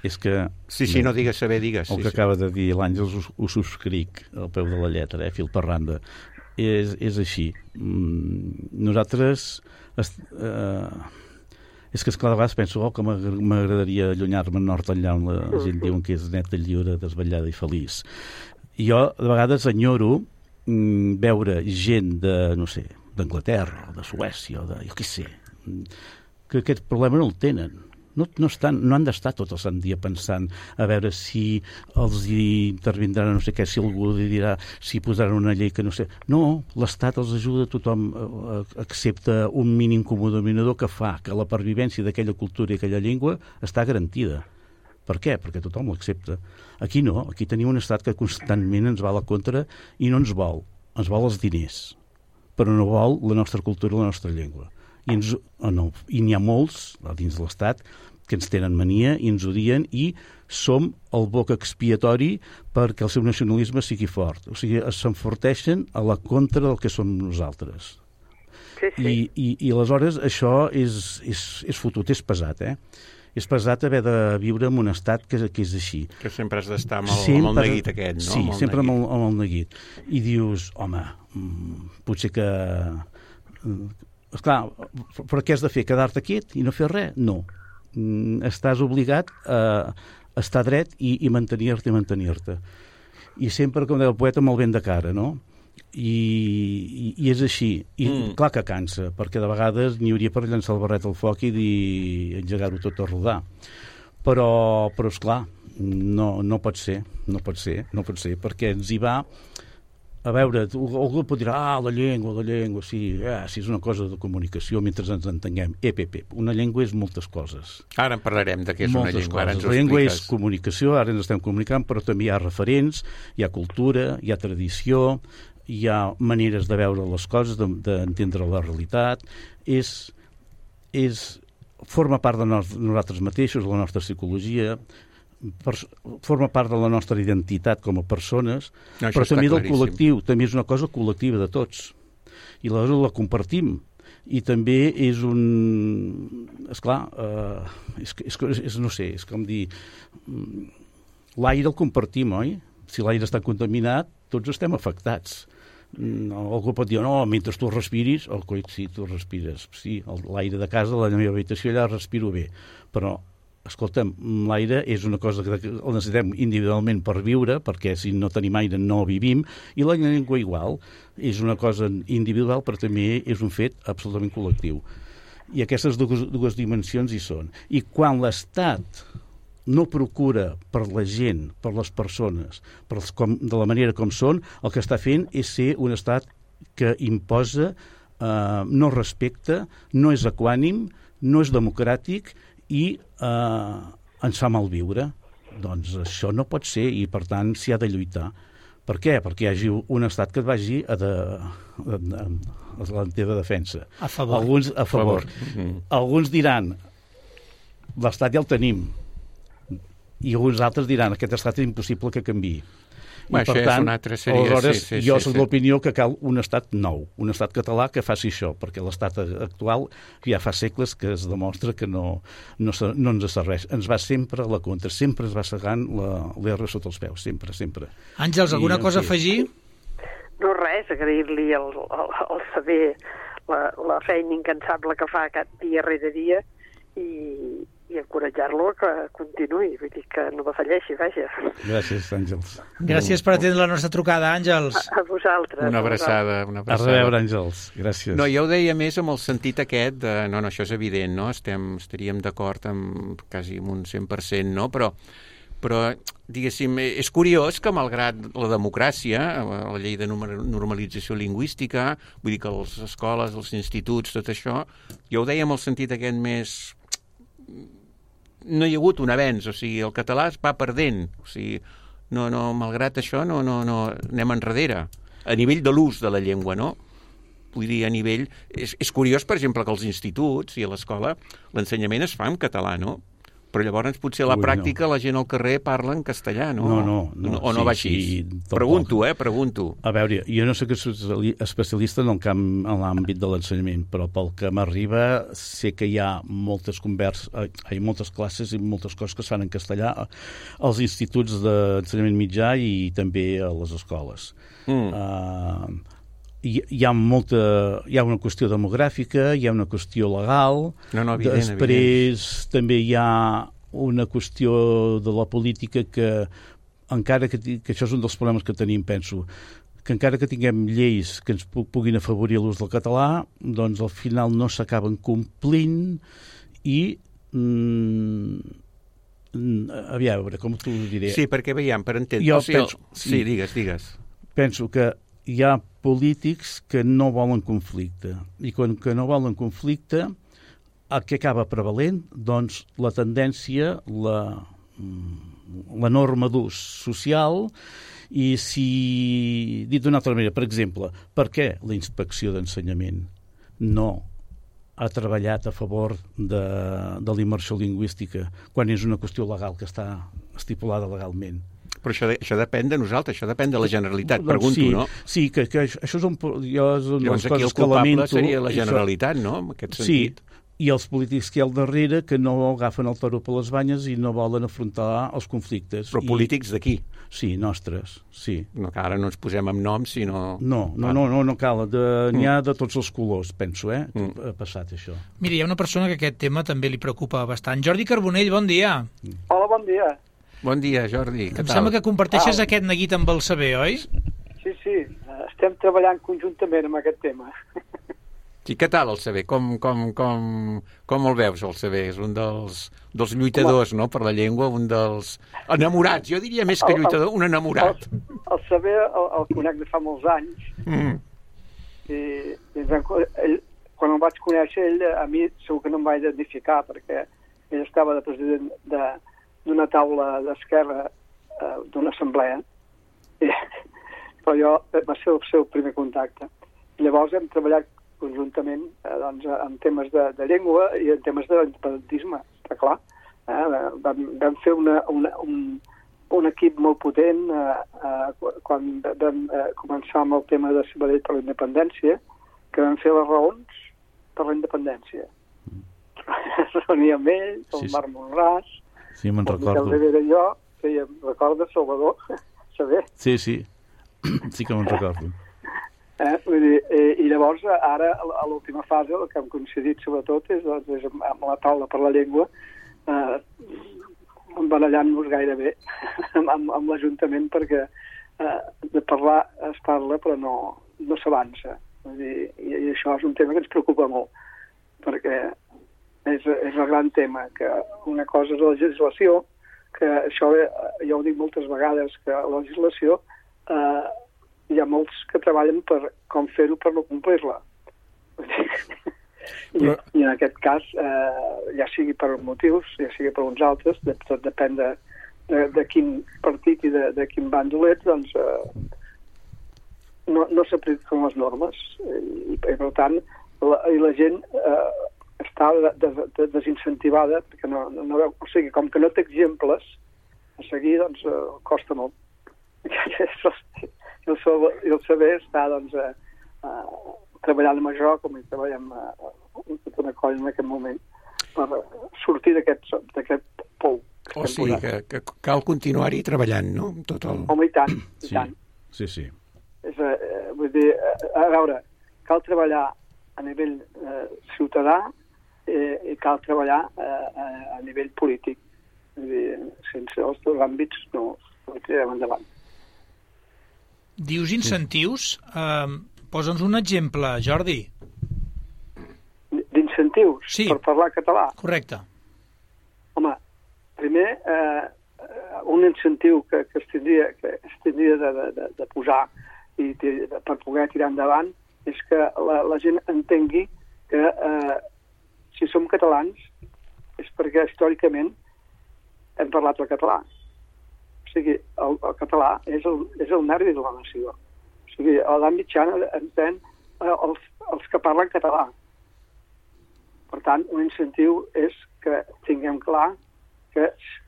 És que... Sí, sí, no digues saber, digues. El Sí, que sí. acaba de dir l'Àngels ho, ho subscric al peu de la lletra, eh, fil per randa. És, és així. Mm, nosaltres... Est, eh, és que, esclar, de vegades penso oh, que m'agradaria allunyar-me nord enllà on la gent diu que és neta, lliure, desvetllada i feliç. I jo, de vegades, enyoro mm, veure gent de, no sé, d'Anglaterra, o de Suècia, o de, jo què sé, que aquest problema no el tenen. No, no, estan, no han d'estar tot el sant dia pensant a veure si els hi intervindran no sé què, si algú dirà si posaran una llei que no sé... No, l'Estat els ajuda, tothom eh, accepta un mínim comú denominador que fa que la pervivència d'aquella cultura i aquella llengua està garantida. Per què? Perquè tothom l'accepta. Aquí no, aquí tenim un estat que constantment ens va a la contra i no ens vol. Ens vol els diners, però no vol la nostra cultura i la nostra llengua. I, ens, oh no, i n'hi ha molts dins de l'Estat que ens tenen mania i ens odien i som el boc expiatori perquè el seu nacionalisme sigui fort. O sigui, s'enforteixen a la contra del que som nosaltres. Sí, sí. I, i, i aleshores això és, és, és fotut, és pesat, eh? És pesat haver de viure en un estat que, que és així. Que sempre has d'estar amb, el, sempre, amb el neguit aquest, no? Sí, amb el sempre amb neguit. el, amb el neguit. I dius, home, potser que... Esclar, però què has de fer? Quedar-te quiet i no fer res? No. Estàs obligat a estar dret i, i mantenir-te i mantenir-te. I sempre, com deia el poeta, amb el vent de cara, no? I, i, i és així. I mm. clar que cansa, perquè de vegades n'hi hauria per llançar el barret al foc i dir, engegar-ho tot a rodar. Però, però esclar, no, no pot ser, no pot ser, no pot ser, perquè ens hi va... A veure, algú pot dir, ah, la llengua, la llengua, sí, eh, sí, és una cosa de comunicació mentre ens entenguem. Ep, ep, ep, una llengua és moltes coses. Ara en parlarem de què és moltes una llengua, ara ens ho la llengua expliques. És comunicació, ara ens estem comunicant, però també hi ha referents, hi ha cultura, hi ha tradició, hi ha maneres de veure les coses, d'entendre la realitat, és, és, forma part de nos, nosaltres mateixos, la nostra psicologia, per, forma part de la nostra identitat com a persones, no, però també del col·lectiu, també és una cosa col·lectiva de tots. I la, la compartim. I també és un... Esclar, eh, és, és, és, no sé, és com dir... L'aire el compartim, oi? Si l'aire està contaminat, tots estem afectats. No, algú pot dir, no, mentre tu respiris, oh, coi, sí, tu respires. Sí, l'aire de casa, la meva habitació, allà respiro bé. Però escolta'm, l'aire és una cosa que el necessitem individualment per viure, perquè si no tenim aire no vivim, i la llengua igual. És una cosa individual, però també és un fet absolutament col·lectiu. I aquestes dues, dues dimensions hi són. I quan l'Estat no procura per la gent, per les persones, per els, com, de la manera com són, el que està fent és ser un estat que imposa, eh, no respecta, no és equànim, no és democràtic, i eh, ens fa malviure. Doncs això no pot ser i, per tant, s'hi ha de lluitar. Per què? Perquè hi hagi un estat que et vagi a, de, a, a, a la teva defensa. A favor. Alguns, a favor. A favor. Mm-hmm. Alguns diran, l'estat ja el tenim. I alguns altres diran, aquest estat és impossible que canviï. Bé, I, per tant, seria, aleshores, sí, sí, jo sí, soc sí. l'opinió que cal un estat nou, un estat català que faci això, perquè l'estat actual ja fa segles que es demostra que no, no, no ens serveix. Ens va sempre a la contra, sempre es va segant l'R sota els peus, sempre, sempre. Àngels, alguna I, cosa a afegir? No res, agrair-li el, el, el saber, la, la feina incansable que fa aquest dia rere dia i, i encoratjar-lo que continuï, vull dir que no defalleixi, vaja. Gràcies, Àngels. Gràcies per atendre la nostra trucada, Àngels. A, a vosaltres. Una abraçada, una abraçada. A reveure, Àngels. Gràcies. No, jo ho deia més amb el sentit aquest de, no, no, això és evident, no? Estem, estaríem d'acord amb quasi un cent per cent, no? Però, però, diguéssim, és curiós que malgrat la democràcia, la llei de normalització lingüística, vull dir que les escoles, els instituts, tot això, jo ho deia amb el sentit aquest més... no hi ha hagut un avenç, o sigui, el català es va perdent, o sigui, no, no, malgrat això no, no, no anem enrere, a nivell de l'ús de la llengua, no? Vull dir, a nivell... És, és curiós, per exemple, que als instituts i a l'escola l'ensenyament es fa en català, no? Però llavors potser a la Ui, pràctica no. la gent al carrer parla en castellà, no? No, no. no o no sí, va així? Sí, pregunto, eh, pregunto. A veure, jo no soc especialista en el camp, en l'àmbit de l'ensenyament, però pel que m'arriba sé que hi ha moltes converses, hi ha moltes classes i moltes coses que es fan en castellà als instituts d'ensenyament mitjà i també a les escoles. Mm. Uh, Hi, hi ha molta, hi ha una qüestió demogràfica, hi ha una qüestió legal, no, no, evident, després evident. També hi ha una qüestió de la política que encara que, que això és un dels problemes que tenim, penso, que encara que tinguem lleis que ens puguin afavorir l'ús del català, doncs al final no s'acaben complint i mm, a veure, com t'ho diré? Sí, perquè veiem, per entendre... Jo o sigui, penso, sí, sí, digues, digues. Penso que hi ha polítics que no volen conflicte. I quan que no volen conflicte, el que acaba prevalent? Doncs la tendència, la, la norma d'ús social, i si, dit d'una altra manera, per exemple, per què la inspecció d'ensenyament no ha treballat a favor de, de la immersió lingüística quan és una qüestió legal que està estipulada legalment? Però això, de, això depèn de nosaltres, això depèn de la Generalitat, doncs pregunto, sí, no? Sí, que, que això és un, jo és una de Llavors les aquí coses el culpable que lamento. Seria la Generalitat, això... no?, en aquest sentit. Sí, i els polítics que hi ha al darrere que no agafen el toro per les banyes i no volen afrontar els conflictes. Però I... polítics d'aquí? Sí, nostres, sí. No, que ara no ens posem amb noms, sinó... No, no, no, no, no cal. De, n'hi ha de tots els colors, penso, eh? Mm. Ha passat això. Mira, hi ha una persona que aquest tema també li preocupa bastant. Jordi Carbonell, bon dia. Hola, bon dia. Bon dia, Jordi. Què Em tal? sembla que comparteixes Ah. aquest neguit amb el saber, oi? Sí, sí, estem treballant conjuntament amb aquest tema. I què tal el saber? Com, com, com, com el veus, el saber? És un dels, dels lluitadors, no?, per la llengua, un dels enamorats. Jo diria més que lluitador, un enamorat. El, el saber el, el conec de fa molts anys. Mm. I, i ell, quan el vaig conèixer, ell a mi segur que no em va identificar, perquè ell estava de president de, d'una taula d'esquerra, eh, d'una assemblea, i, però jo va ser el seu primer contacte. I llavors hem treballat conjuntament eh, doncs, en temes de, de llengua i en temes de l'independentisme, està clar. Eh? Vam, vam fer una, una, un, un equip molt potent eh, eh, quan vam eh, començar amb el tema de Sabadell per la independència, que vam fer les raons per la independència. Es reunia amb ell, el Sí, sí. Marc Monràs, Sí, me'n el Miquel recordo. Rivera i jo, fèiem, recordes, Salvador? Saber. Sí, sí. Sí que me'n recordo. Eh? Vull dir, eh, I llavors, ara, a l'última fase, el que hem coincidit sobretot és, doncs, és amb la taula per la llengua, eh, embarallant-nos gairebé amb, amb l'Ajuntament, perquè eh, de parlar es parla però no, no s'avança. Vull dir, i, I això és un tema que ens preocupa molt, perquè és, és el gran tema, que una cosa és la legislació, que això eh, jo ho dic moltes vegades, que la legislació eh, hi ha molts que treballen per com fer-ho per no complir-la. I, Però... I en aquest cas, eh, ja sigui per motius, ja sigui per uns altres, de, tot depèn de, de, de quin partit i de, de quin bàndol ets, doncs eh, no, no s'apliquen les normes. I, i per tant, la, i la gent eh, està de, de, de desincentivada, perquè no, no, no veu, o sigui, com que no té exemples a seguir, doncs eh, costa molt. I el, i el saber està doncs, eh, eh, treballant amb això, com hi treballem eh, tota una colla en aquest moment, per sortir d'aquest d'aquest pou. O sigui, que, que cal continuar-hi treballant, no? Tot el... Home, i tant, i Sí, tant. sí, sí. És, eh, vull dir, eh, a veure, cal treballar a nivell eh, ciutadà eh, i cal treballar eh, a nivell polític. Vull dir, sense els dos àmbits no, no tirarem endavant. Dius incentius? Eh, Posa'ns un exemple, Jordi. D'incentius Sí. per parlar català? Correcte. Home, primer, eh, un incentiu que, que es tindria, que es tindria de, de, de posar i de, per poder tirar endavant és que la, la gent entengui que eh, si som catalans és perquè històricament hem parlat el català. O sigui, el, el català és el, és el nervi de la nació. O sigui, a l'edat mitjana entén eh, els, els que parlen català. Per tant, un incentiu és que tinguem clar que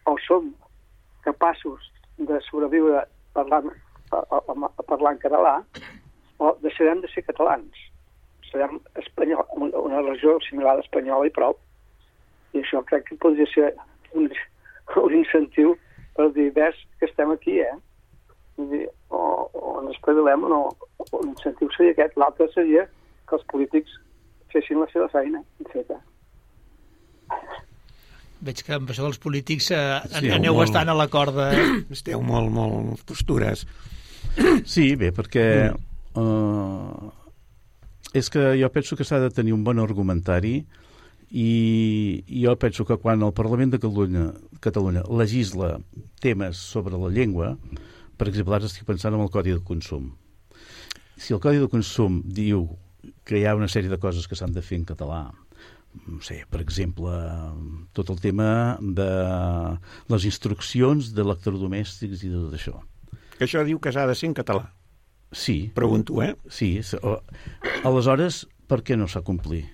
o som capaços de sobreviure parlant, parlant català o deixarem de ser catalans. Serem espanyol, una regió similar a espanyola i prou. I això crec que podria ser un, un incentiu per dir, ves que estem aquí, eh? Vull dir, o, o ens espavilem o no. L'incentiu seria aquest. L'altre seria que els polítics fessin la seva feina feta. Veig que amb això dels polítics eh, Sí, aneu molt. bastant a la corda. Esteu molt, molt postures. Sí, bé, perquè uh, és que jo penso que s'ha de tenir un bon argumentari i jo penso que quan el Parlament de Catalunya, Catalunya legisla temes sobre la llengua, per exemple, ara estic pensant en el Codi de Consum. Si el Codi de Consum diu que hi ha una sèrie de coses que s'han de fer en català, no sé, per exemple, tot el tema de les instruccions d'electrodomèstics i de tot això. Que això diu que s'ha de ser en català. Sí. Pregunto, eh? Sí. O, aleshores, per què no s'ha complit?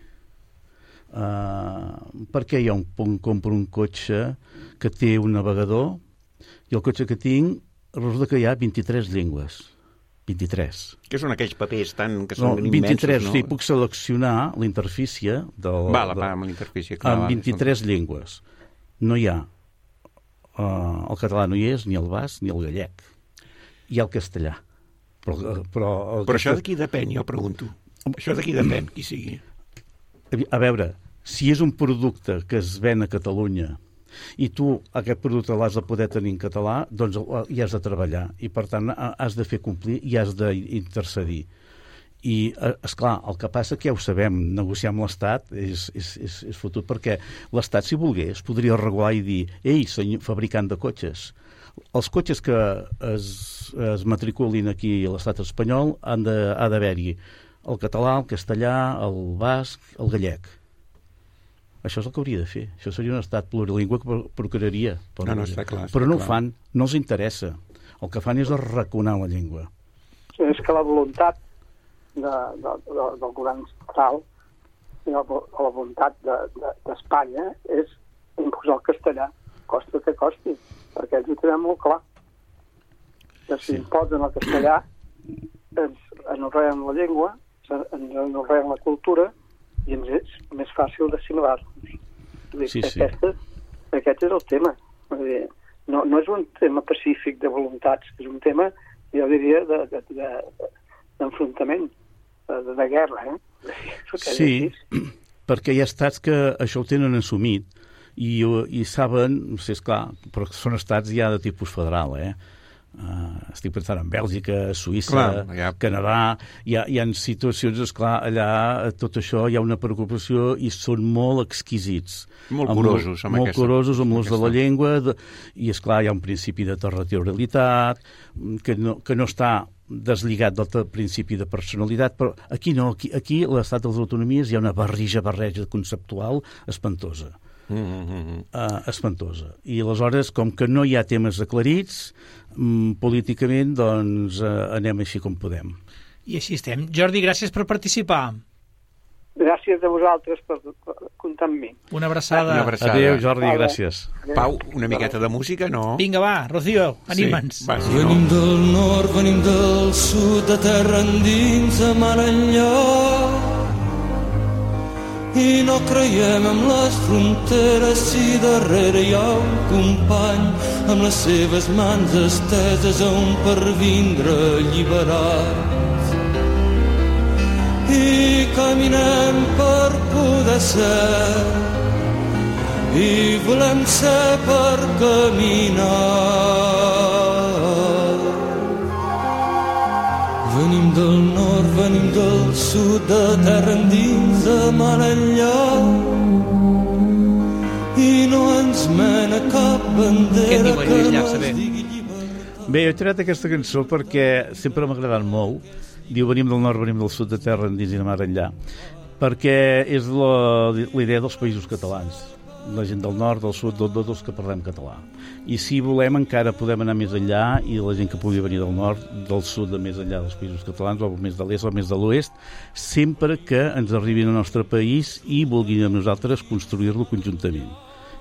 Uh, per què hi ha un, un compro un cotxe que té un navegador i el cotxe que tinc resulta que hi ha vint-i-tres llengües? vint-i-tres. Que són aquells papers tan, que són No, immensos, vint-i-tres, no? o sigui, puc seleccionar la interfície del, Va, la del, amb la interfície. Clar, amb va, vint-i-tres llengües. No hi ha uh, el català no hi és, ni el basc, ni el gallec. Hi ha el castellà. Però, però, el però això de qui depèn, jo pregunto. Això de qui depèn, qui sigui. A veure, si és un producte que es ven a Catalunya i tu aquest producte l'has de poder tenir en català, doncs hi has de treballar i per tant has de fer complir i has d'intercedir. I, esclar, el que passa que ja ho sabem, negociar amb l'Estat és, és, és, és fotut, perquè l'Estat, si volgués, podria regular i dir ei, senyor fabricant de cotxes, els cotxes que es, es matriculin aquí a l'Estat espanyol han de, ha d'haver-hi el català, el castellà, el basc, el gallec. Això és el que hauria de fer. Això seria un estat plurilingüe que procuraria. No, no, està clar. Està però no clar. ho fan, no els interessa. El que fan és arraconar la llengua. És que la voluntat de, de, de, del govern central i la, la voluntat d'Espanya de, de, és imposar el castellà, costi que costi, perquè ells ho tenen molt clar. Que si sí. imposen el castellà, ens anorreen la llengua, ens anorreen la cultura, i ens és més fàcil d'assimilar-nos. Sí, sí. Aquest, aquest és el tema. Dir, no, no és un tema pacífic de voluntats, és un tema, jo diria, d'enfrontament, de, de, de guerra. Eh? Sí, perquè hi ha estats que això ho tenen assumit i, i saben, no sé, esclar, però són estats ja de tipus federal, eh? Uh, estic pensant en Bèlgica, Suïssa, clar, ja. Canadà, hi ha, hi ha situacions, esclar, allà tot això hi ha una preocupació i són molt exquisits. Molt curosos amb, amb molt aquesta. curosos amb l'ús de la llengua, de, i esclar, hi ha un principi de territorialitat que no, que no està deslligat del principi de personalitat, però aquí no, aquí, aquí a l'estat de les autonomies hi ha una barrija, barreja conceptual espantosa. Mm-hmm. Uh, espantosa. I aleshores, com que no hi ha temes aclarits, um, políticament, doncs uh, anem així com podem. I així estem. Jordi, gràcies per participar. Gràcies a vosaltres per, per comptar amb mi. Una abraçada. Una abraçada. Adéu, Jordi, Adéu. Gràcies. Pau, una miqueta de música, no? Vinga, va, Rocío, anima'ns. Sí, va, sí, venim no? del nord, venim del sud, de terra endins, a mar enllà. I no creiem en les fronteres si darrere hi ha un company amb les seves mans esteses a on per vindre alliberats. I caminem per poder ser i volem ser per caminar. Venim del nord, venim del sud, de terra endins, de mar enllà. I no ens mena cap bandera que no ens digui llibertat. Bé, he tirat aquesta cançó perquè sempre m'ha agradat molt. Diu, venim del nord, venim del sud, de terra endins i de mar enllà. Perquè és la, la idea dels països catalans. La gent del nord, del sud, del tot, els que parlem català. I si volem encara podem anar més enllà i la gent que pugui venir del nord, del sud, de més enllà dels països catalans, o més de l'est o més de l'oest, sempre que ens arribin al nostre país i vulguin amb nosaltres construir-lo conjuntament.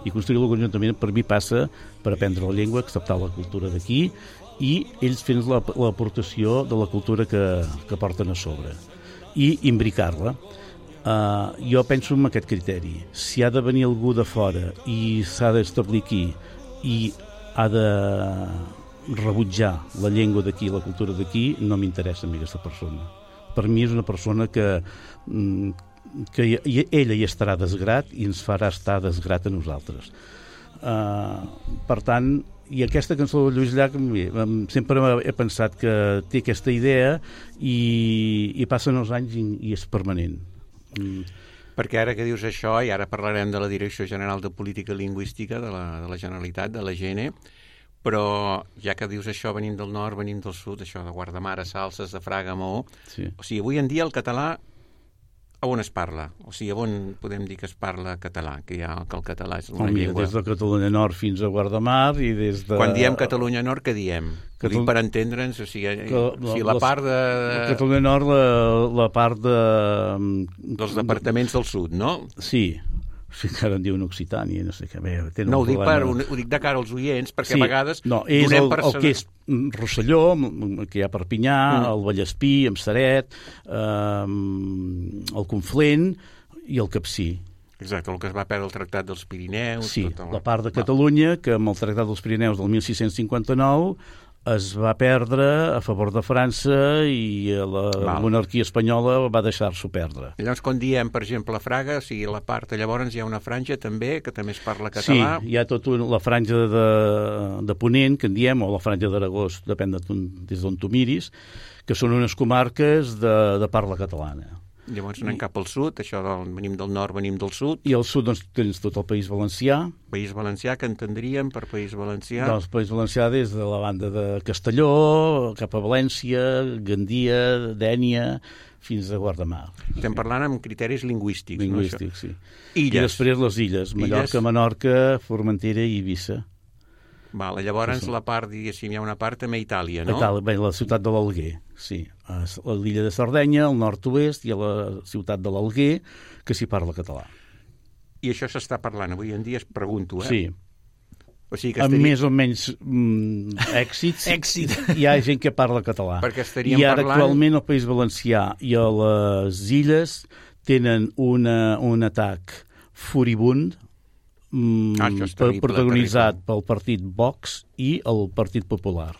I construir-lo conjuntament per mi passa per aprendre la llengua, acceptar la cultura d'aquí i ells fent l'aportació de la cultura que, que porten a sobre i imbricar-la. Uh, jo penso en aquest criteri. Si ha de venir algú de fora i s'ha d'establir aquí i ha de rebutjar la llengua d'aquí, la cultura d'aquí, no m'interessa a mi aquesta persona. Per mi és una persona que, que ella hi estarà desgrat i ens farà estar desgrat a nosaltres. Uh, per tant, i aquesta cançó de Lluís Llach sempre he pensat que té aquesta idea i, i passen els anys i, i és permanent. Mm. Perquè ara que dius això, i ara parlarem de la Direcció General de Política Lingüística de la, de la Generalitat, de la G N, però ja que dius això, venim del nord, venim del sud, això de Guardamar, Salses, de Fraga, Maó, sí. O sigui, avui en dia el català a on es parla? O sigui, a on podem dir que es parla català? Que, ja, que el català és una oh, mira, llengua... Des de Catalunya Nord fins a Guardamar i des de... Quan diem Catalunya Nord, què diem? Catal... Dic per entendre'ns, o sigui, que, o sigui la, la part de... Catalunya Nord, la, la part de... Dels departaments del sud, no? Sí, si encara en diuen Occitània, no sé què. Bé, no, ho dic, per, ho dic de cara als oients, perquè sí, a vegades no, és donem el, per... el que és Rosselló, que hi ha Perpinyà, mm. el Vallespí, Emsaret, eh, el Conflent i el Capcir. Exacte, el que es va perdre el Tractat dels Pirineus. Sí, tot el... la part de Catalunya, que amb el Tractat dels Pirineus del mil sis-cents cinquanta-nou es va perdre a favor de França i la Val. monarquia espanyola va deixar-s'ho perdre. Llavors, quan diem, per exemple, a Fraga, o sigui, la part, llavors hi ha una franja també, que també es parla català. Sí, hi ha tota la franja de, de Ponent, que en diem, o la franja d'Aragó, depèn de tu, des d'on tu miris, que són unes comarques de, de parla catalana. Llavors anem I... cap al sud, això del, venim del nord, venim del sud. I al sud doncs, tens tot el País Valencià. País Valencià, que entendríem per País Valencià? Doncs País Valencià des de la banda de Castelló, cap a València, Gandia, Dénia, fins a Guardamar. Estem parlant amb criteris lingüístics. Lingüístics, no, sí. Illes. I després les illes, Mallorca, illes. Menorca, Formentera i Eivissa. Vale, llavors sí, sí. la part, diguéssim, hi ha una part també a Itàlia, no? Itàlia, bé, la ciutat de l'Alguer, sí. A l'illa de Sardenya, al nord-oest, i a la ciutat de l'Alguer, que s'hi parla català. I això s'està parlant avui en dia, es pregunto, eh? Sí. O sigui que amb estaria... més o menys mm, èxits, Èxit. Hi ha gent que parla català. Perquè estaríem I ara parlant... actualment el País Valencià i a les illes tenen una, un atac furibund Ah, terrible, protagonitzat terrible. pel partit Vox i el Partit Popular.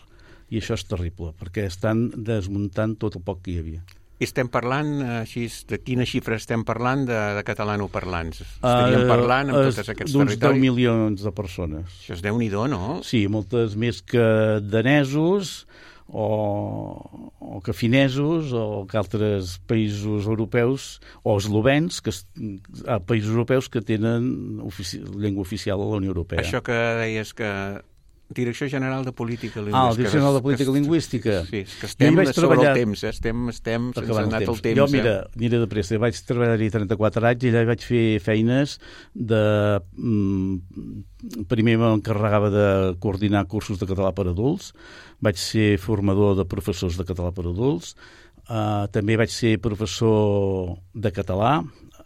I això és terrible, perquè estan desmuntant tot el poc que hi havia. I estem parlant, així, de quina xifra estem parlant de, de catalanoparlants? Estaríem uh, parlant amb tots aquests territoris? D'uns deu milions de persones. Això és Déu-n'hi-do, no? Sí, moltes més que danesos, o, o que finesos, o que altres països europeus, o eslovens, que a països europeus que tenen ofici, llengua oficial a la Unió Europea. Això que deies que... Direcció General de Política Lingüística. Ah, la Direcció General de Política que, Lingüística. Sí, que estem sobre treballar... el temps, eh? estem, estem sense anat el temps. Jo, mira, aniré de pressa, vaig treballar-hi trenta-quatre anys i allà vaig fer feines de... Primer m'encarregava de coordinar cursos de català per adults, vaig ser formador de professors de català per adults, uh, també vaig ser professor de català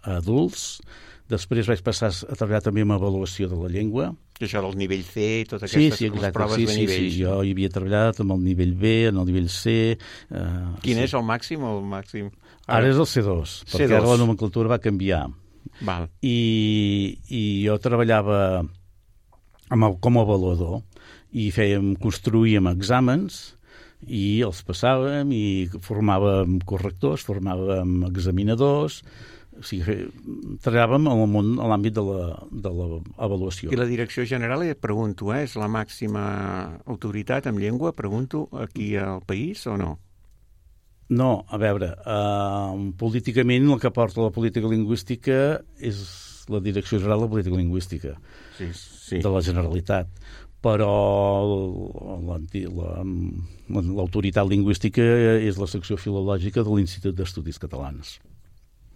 a adults, després vaig passar a treballar també amb avaluació de la llengua. I això del nivell C i totes aquestes sí, sí, exacte, proves sí, de sí, nivell. Sí, jo hi havia treballat amb el nivell B, en el nivell C... Uh, Quin sí. és el màxim o el màxim? Ara, ara és el C dos, C dos. perquè ara la nomenclatura va canviar. Val. I, i jo treballava amb el, com a avaluador i fèiem, construïem exàmens i els passàvem i formàvem correctors, formàvem examinadors. O sigui, treballàvem en el món, a l'àmbit de l'avaluació. I la Direcció General, et pregunto, eh, és la màxima autoritat en llengua, pregunto, aquí al país o no? No, a veure, uh, políticament el que porta la política lingüística és la Direcció General de Política Lingüística sí, sí. de la Generalitat, però l'autoritat lingüística és la secció filològica de l'Institut d'Estudis Catalans.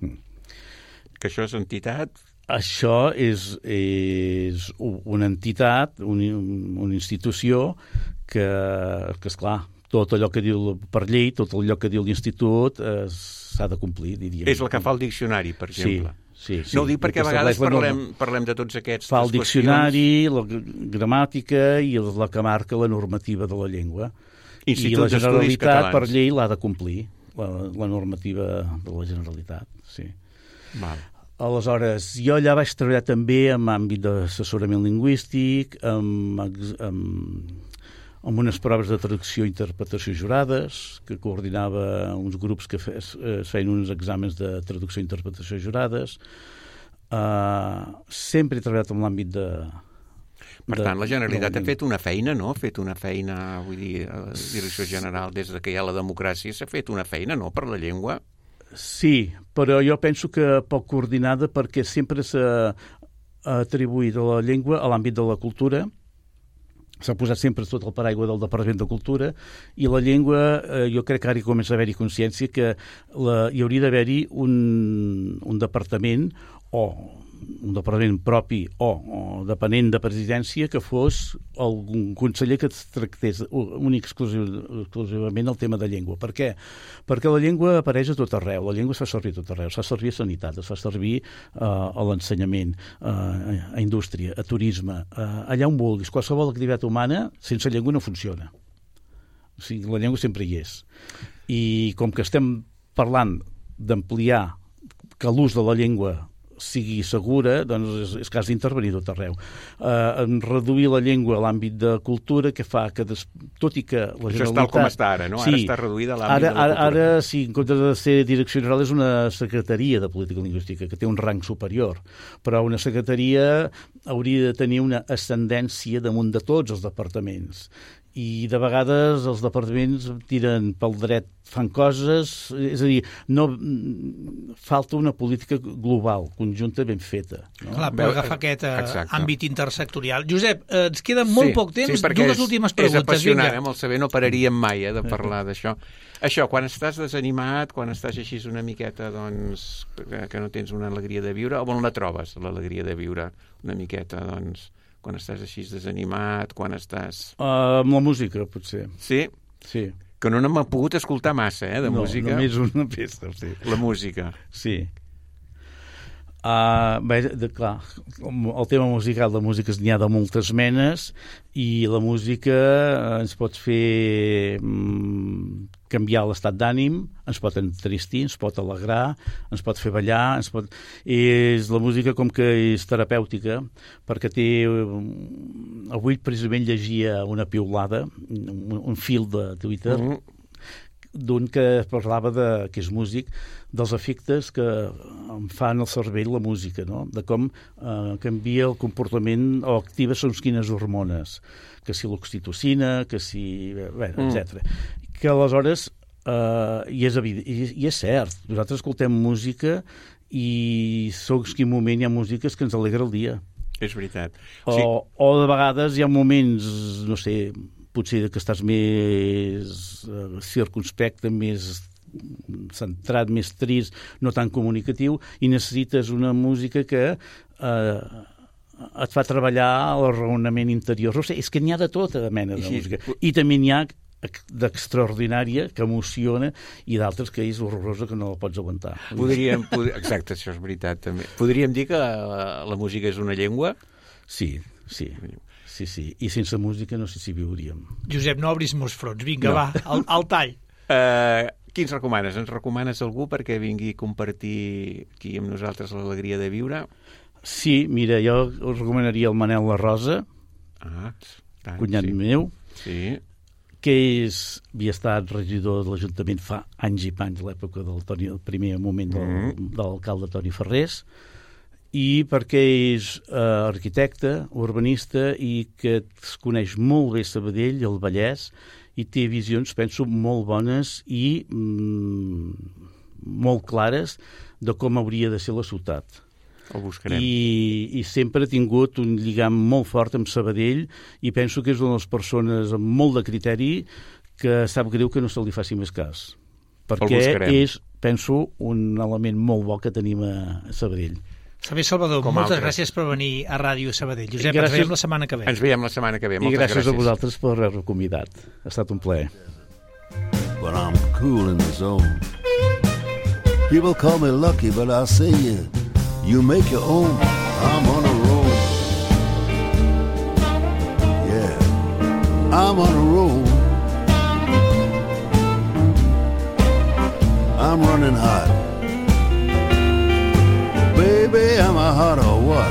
Mm. Que això és entitat? Això és, és una entitat, un, una institució que, que esclar, tot allò que diu per llei, tot allò que diu l'institut eh, s'ha de complir, diríem. És el que fa el diccionari, per exemple. Sí, sí. No ho dic perquè a vegades parlem, parlem de tots aquests fa el diccionari, la gramàtica i la que marca la normativa de la llengua. Institut I la Generalitat, Catalans. per llei, l'ha de complir, la, la normativa de la Generalitat, sí. Val. Aleshores, jo allà vaig treballar també en àmbit d'assessorament lingüístic, amb, amb, amb unes proves de traducció i interpretació jurades, que coordinava uns grups que fes, es feien uns exàmens de traducció i interpretació jurades. Uh, sempre he treballat en l'àmbit de... Per tant, la Generalitat ha fet una feina, no? Ha fet una feina, vull dir, a la Direcció General, des que hi ha la democràcia, s'ha fet una feina, no?, per la llengua. Sí, però jo penso que poc coordinada perquè sempre s'ha atribuït a la llengua a l'àmbit de la cultura, s'ha posat sempre tot el paraigua del Departament de Cultura i la llengua, eh, jo crec que ara hi comença a haver-hi consciència que la, hi hauria d'haver-hi un, un departament o un departament propi o, o depenent de presidència que fos algun conseller que tractés únic exclusiv, exclusivament el tema de llengua. Per què? Perquè la llengua apareix a tot arreu, la llengua es fa servir a tot arreu, es fa servir a sanitat, es fa servir uh, a l'ensenyament, uh, a indústria, a turisme, uh, allà on vulguis. Qualsevol activitat humana sense llengua no funciona. O sigui, la llengua sempre hi és. I com que estem parlant d'ampliar que l'ús de la llengua sigui segura, doncs és, és cas d'intervenir tot arreu. Uh, en reduir la llengua a l'àmbit de cultura, que fa que, des, tot i que la Generalitat... Això és tal com està ara, no? Sí, ara està reduïda a l'àmbit ara, de la cultura. Ara, sí, en comptes de ser direcció general, és una secretaria de política lingüística, que té un rang superior, però una secretaria hauria de tenir una ascendència damunt de tots els departaments. I de vegades els departaments tiren pel dret, fan coses, és a dir, no, falta una política global, conjunta, ben feta. No? Clar, per agafar aquest uh, Exacte. àmbit intersectorial. Josep, eh, ens queda molt sí, poc temps, sí, dues és, últimes preguntes. És apassionant, vinga. eh, amb el saber no pararíem mai eh, de parlar d'això. Això, quan estàs desanimat, quan estàs així una miqueta, doncs, que no tens una alegria de viure, on la trobes, l'alegria de viure una miqueta, doncs... quan estàs així desanimat, quan estàs... Uh, amb la música, potser. Sí? Sí. Que no n'hem pogut escoltar massa, eh, de no, música. No, només una peça, sí. La música. Sí. Uh, bé, de, clar, el tema musical de músiques n'hi ha de moltes menes i la música ens pot fer mm, canviar l'estat d'ànim, ens pot entristir, ens pot alegrar, ens pot fer ballar, ens pot... És, la música com que és terapèutica, perquè té... Avui precisament llegia una piulada, un, un fil de Twitter, mm. d'un que parlava, de, que és músic, dels efectes que em fan al cervell la música, no? De com eh, canvia el comportament o activa segons quines hormones, que si l'oxitocina, que si... Bé, mm. etcètera. Que aleshores, eh, i, és evident, i, i és cert, nosaltres escoltem música i segons quin moment hi ha músiques que ens alegra el dia. És veritat. O, sí. o de vegades hi ha moments, no sé, potser que estàs més eh, circunspecte, més centrat, més trist, no tan comunicatiu, i necessites una música que eh, et fa treballar el raonament interior. No sé, és que n'hi ha de tota mena de I música. I també n'hi ha d'extraordinària, que emociona, i d'altres que és horrorosa, que no la pots aguantar. Podríem, pod... Exacte, això és veritat, també. Podríem dir que la, la música és una llengua? Sí, sí. Sí, sí. I sense música no sé si viuríem. Josep, no obris molts fronts. Vinga, no. va, al, al tall. Uh, qui ens recomanes? Ens recomanes algú perquè vingui a compartir aquí amb nosaltres l'alegria de viure? Sí, mira, jo us recomanaria el Manel La Rosa, ah, tant, cunyat sí. meu, sí. que és, havia estat regidor de l'Ajuntament fa anys i panys, a l'època del, Toni, el primer moment del, mm. de l'alcalde Toni Ferrés, i perquè és eh, arquitecte, urbanista, i que es coneix molt bé Sabadell, el Vallès, i té visions, penso, molt bones i mm, molt clares de com hauria de ser la ciutat. El buscarem. I, I sempre ha tingut un lligam molt fort amb Sabadell i penso que és una de les persones amb molt de criteri que sap greu que no se li faci més cas. Perquè és, penso, un element molt bo que tenim a Sabadell. Xavier Salvador, Com moltes altres. gràcies per venir a Ràdio Sabadell. Josep, gràcies, ens veiem la setmana que ve. Ens veiem la setmana que ve. I Moltes gràcies, gràcies a vosaltres per haver-me convidat. Ha estat un plaer. But I'm cool in the zone. People call me lucky, but I say you, you make your own. I'm on a roll. Yeah, I'm on a roll. I'm running hot. Baby, am I hot or what?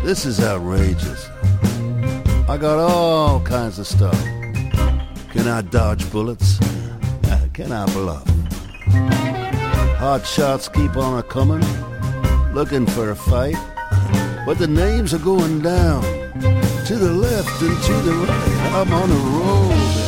This is outrageous. I got all kinds of stuff. Can I dodge bullets? Can I bluff? Hot shots keep on a-coming, looking for a fight. But the names are going down, to the left and to the right. I'm on a roll.